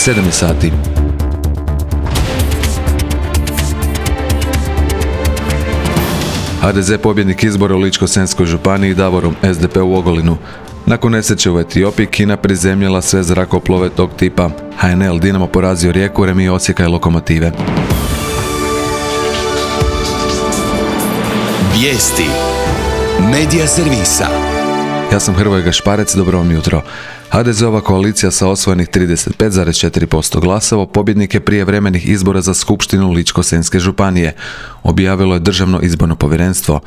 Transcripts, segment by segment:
7 sati. HDZ pobjednik izbora u Ličko-senjskoj županiji Davorom, SDP u Ogulinu. Nakon nesreće u Etiopiji, Kina prizemljila sve zrakoplove tog tipa. HNL Dinamo porazio Rijeku, Remi Osijeka i Lokomotive. Vijesti Medija servisa. Ja sam Hrvoje Gašparec, dobro vam jutro. HDZ-ova koalicija sa osvojenih 35,4% glasova pobjednik je prijevremenih izbora za skupštinu Ličko-senjske županije, objavilo je Državno izborno povjerenstvo.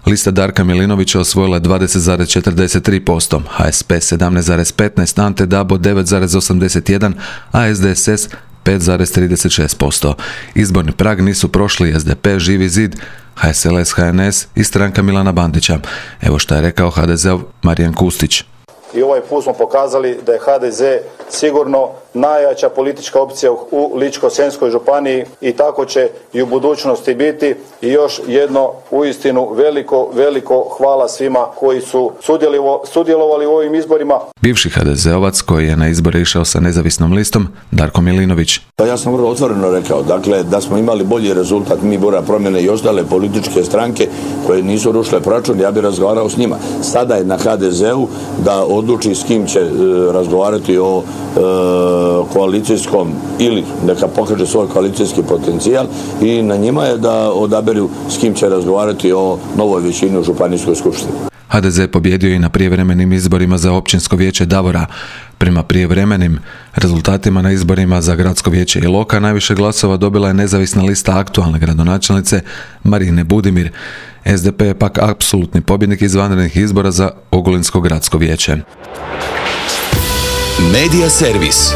Lista Darka Milinovića osvojila je 20,43%, HSP 17,15%, Ante Dabo 9,81%, a SDSS 5,36%. Izborni prag nisu prošli SDP, Živi zid, HSLS, HNS i stranka Milana Bandića. Evo šta je rekao HDZ-ov Marijan Kustić. I ovaj put smo pokazali da je HDZ sigurno najjača politička opcija u Ličko-senjskoj županiji i tako će i u budućnosti biti. I još jedno uistinu veliko hvala svima koji su sudjelovali u ovim izborima. Bivši HDZ-ovac koji je na izbore išao sa nezavisnom listom, Darko Milinović. Ja sam vrlo otvoreno rekao, dakle, da smo imali bolji rezultat, mi Bora promjene i ostale političke stranke koje nisu rušile proračun, ja bih razgovarao s njima. Sada je na HDZ-u da odluči s kim će razgovarati o koalicijskom ili neka pokaže svoj koalicijski potencijal i na njima je da odaberu s kim će razgovarati o novoj većini u županijskoj skupštini. HDZ je pobjedio i na prijevremenim izborima za općinsko vijeće Davora. Prema prijevremenim rezultatima na izborima za gradsko vijeće Iloka najviše glasova dobila je nezavisna lista aktualne gradonačelnice Marine Budimir. SDP je pak apsolutni pobjednik izvanrednih izbora za Ogulinsko gradsko vijeće. Medija servis.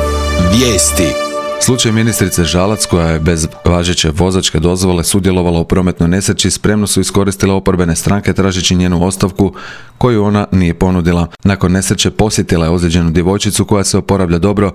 Vijesti. Slučaj ministrice Žalac, koja je bez važeće vozačke dozvole sudjelovala u prometnoj nesreći, spremno su iskoristile oporbene stranke tražeći njenu ostavku koju ona nije ponudila. Nakon nesreće posjetila je ozlijeđenu djevojčicu koja se oporavlja dobro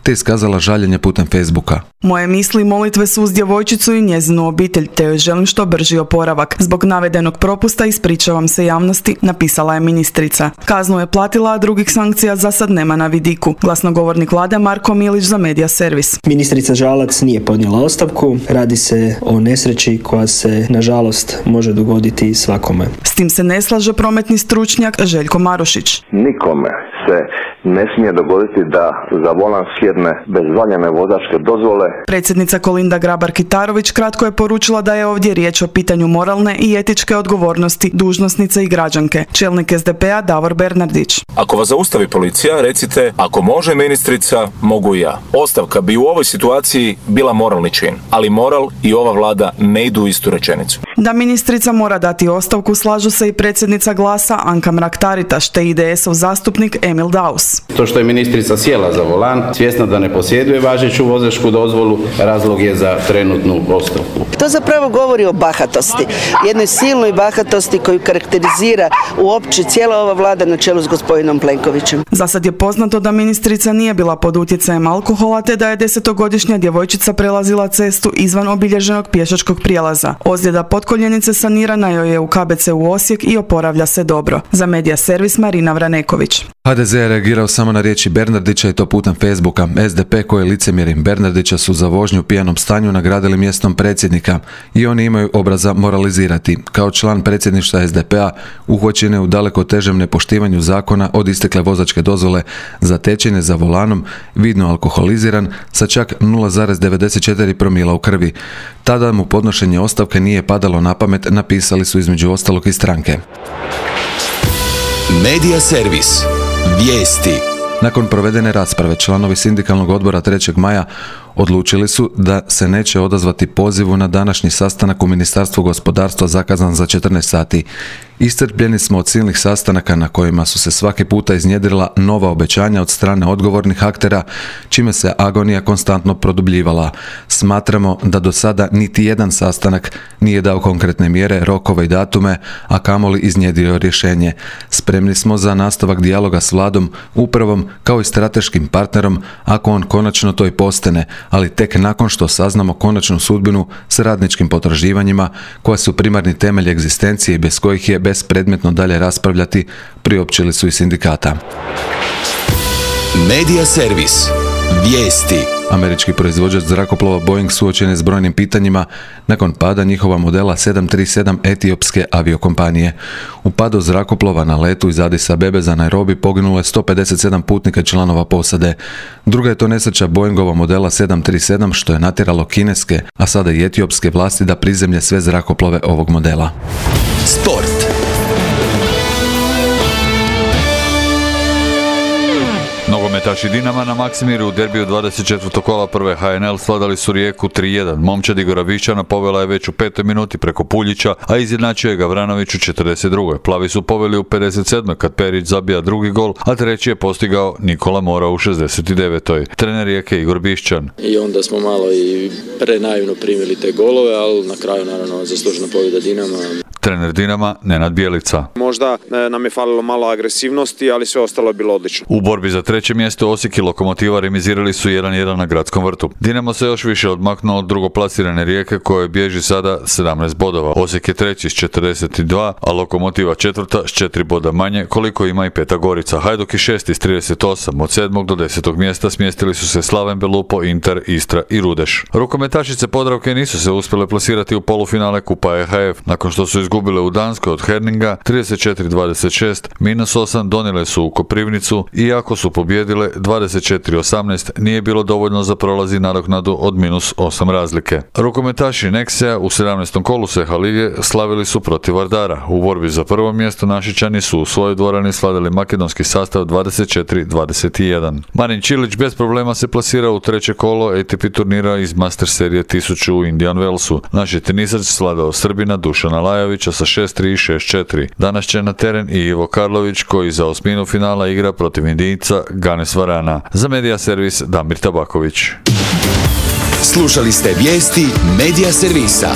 te iskazala žaljenje putem Facebooka. Moje misli i molitve su uz djevojčicu i njezinu obitelj, te joj želim što brži oporavak. Zbog navedenog propusta ispričavam se javnosti, napisala je ministrica. Kaznu je platila, a drugih sankcija za sad nema na vidiku. Glasnogovornik vlade Marko Milić za Medija servis. Ministrica Žalac nije podnijela ostavku, radi se o nesreći koja se nažalost može dogoditi svakome. S tim se ne slaže prometni stručnjak Željko Marušić. Nikome se ne smije dogoditi da za volan sjedne bez valjane vozačke dozvole. Predsjednica Kolinda Grabar-Kitarović kratko je poručila da je ovdje riječ o pitanju moralne i etičke odgovornosti dužnosnice i građanke. Čelnik SDP-a Davor Bernardić. Ako vas zaustavi policija, recite, ako može ministrica, mogu i ja. Ostavka bi u ovoj situaciji bila moralni čin, ali moral i ova vlada ne idu u istu rečenicu. Da ministrica mora dati ostavku slažu se i predsjednica Glasa Anka Mrak-Taritaš te IDS-ov zastupnik Emil Daus. To što je ministrica sjela za volan, svjesna da ne posjeduje važeću vozačku dozvolu, razlog je za trenutnu ostavku. To zapravo govori o bahatosti, jednoj silnoj bahatosti koju karakterizira uopće cijela ova vlada na čelu s gospodinom Plenkovićem. Za sad je poznato da ministrica nije bila pod utjecajem alkohola te da je 10-godišnja djevojčica prelazila cestu izvan obilježenog pješačkog prijelaza. Ozljeda potkoljenice sanirana joj je u KBC u Osijek i oporavlja se dobro. Za Medija servis Marina Vraneković. HDZ je reagirao samo na riječi Bernardića i to putem Facebooka. SDP koji je licemjeri Bernardića su za vožnju u pijanom stanju nagradili mjestom predsjednika i oni imaju obraza moralizirati. Kao član predsjedništva SDP-a uhvaćen je u daleko težem nepoštivanju zakona od istekle vozačke dozvole, zatečen je za volanom, vidno alkoholiziran sa čak 0,94 promila u krvi. Tada mu podnošenje ostavke nije padalo na pamet, napisali su između ostalog i stranke. Medija servis. Vijesti. Nakon provedene rasprave, članovi sindikalnog odbora 3. maja odlučili su da se neće odazvati pozivu na današnji sastanak u Ministarstvu gospodarstva zakazan za 14 sati. Iscrpljeni smo od silnih sastanaka na kojima su se svaki puta iznjedrila nova obećanja od strane odgovornih aktera, čime se agonija konstantno produbljivala. Smatramo da do sada niti jedan sastanak nije dao konkretne mjere, rokove i datume, a kamoli iznjedrio rješenje. Spremni smo za nastavak dijaloga s vladom, upravom kao i strateškim partnerom, ako on konačno to i postane, ali tek nakon što saznamo konačnu sudbinu s radničkim potraživanjima, koja su primarni temelj egzistencije i bez kojih je bespredmetno dalje raspravljati, priopćili su i sindikata. Medija servis. Vijesti. Američki proizvođač zrakoplova Boeing suočen je s brojnim pitanjima nakon pada njihova modela 737 etiopske aviokompanije. U padu zrakoplova na letu iz Addis Abebe za Nairobi poginulo je 157 putnika i članova posade. Druga je to nesreća Boeingova modela 737 što je natjeralo kineske, a sada i etiopske vlasti da prizemlje sve zrakoplove ovog modela. Sport. Nogometaši Dinama na Maksimiru u derbiju 24. kola prve HNL svladali su Rijeku 3-1. Momčad Igora Višćana povela je već u 5. minuti preko Puljića, a izjednačio je Gavranović u 42. Plavi su poveli u 57. kad Perić zabija drugi gol, a treći je postigao Nikola Mora u 69. Trener Rijeke Igor Bišćan. I onda smo malo i prenaivno primili te golove, ali na kraju naravno zaslužena pobjeda Dinama. Trener Dinama Nenad Bjelica. Možda nam je falilo malo agresivnosti, ali sve ostalo je bilo odlično. U borbi za treće mjesto Osijek i Lokomotiva remizirali su 1-1 na Gradskom vrtu. Dinamo se još više odmaknuo od drugoplasirane Rijeke koje bježi sada 17 bodova. Osijek je treći s 42, a Lokomotiva četvrta s 4 boda manje koliko ima i Peta Gorica. Hajduk i šesti s 38, od 7. do 10. mjesta smjestili su se Slaven Belupo, Inter, Istra i Rudeš. Rukometašice Podravke nisu se uspjele plasirati u polufinale Kupa EHF. Nakon što su izgubile u Danskoj od Herninga 34-26, -8 donijele su u Koprivnicu i ako su pobjedile 24-18 nije bilo dovoljno za prolazi nadoknadu od -8 razlike. Rukometaši Nexea u 17. kolu Seha lige slavili su protiv Vardara. U borbi za prvo mjesto Našičani su u svojoj dvorani svladali makedonski sastav 24-21. Marin Čilić bez problema se plasirao u treće kolo ATP turnira iz Master serije 1000 u Indian Wellsu. Naš je tenisač svladao Srbina Dušana Lajovića sa 6-3 i 6-4. Danas će na teren i Ivo Karlović koji za osminu finala igra protiv Indijca Ganes Varana. Za Medija servis Damir Tabaković. Slušali ste vijesti Medija servisa.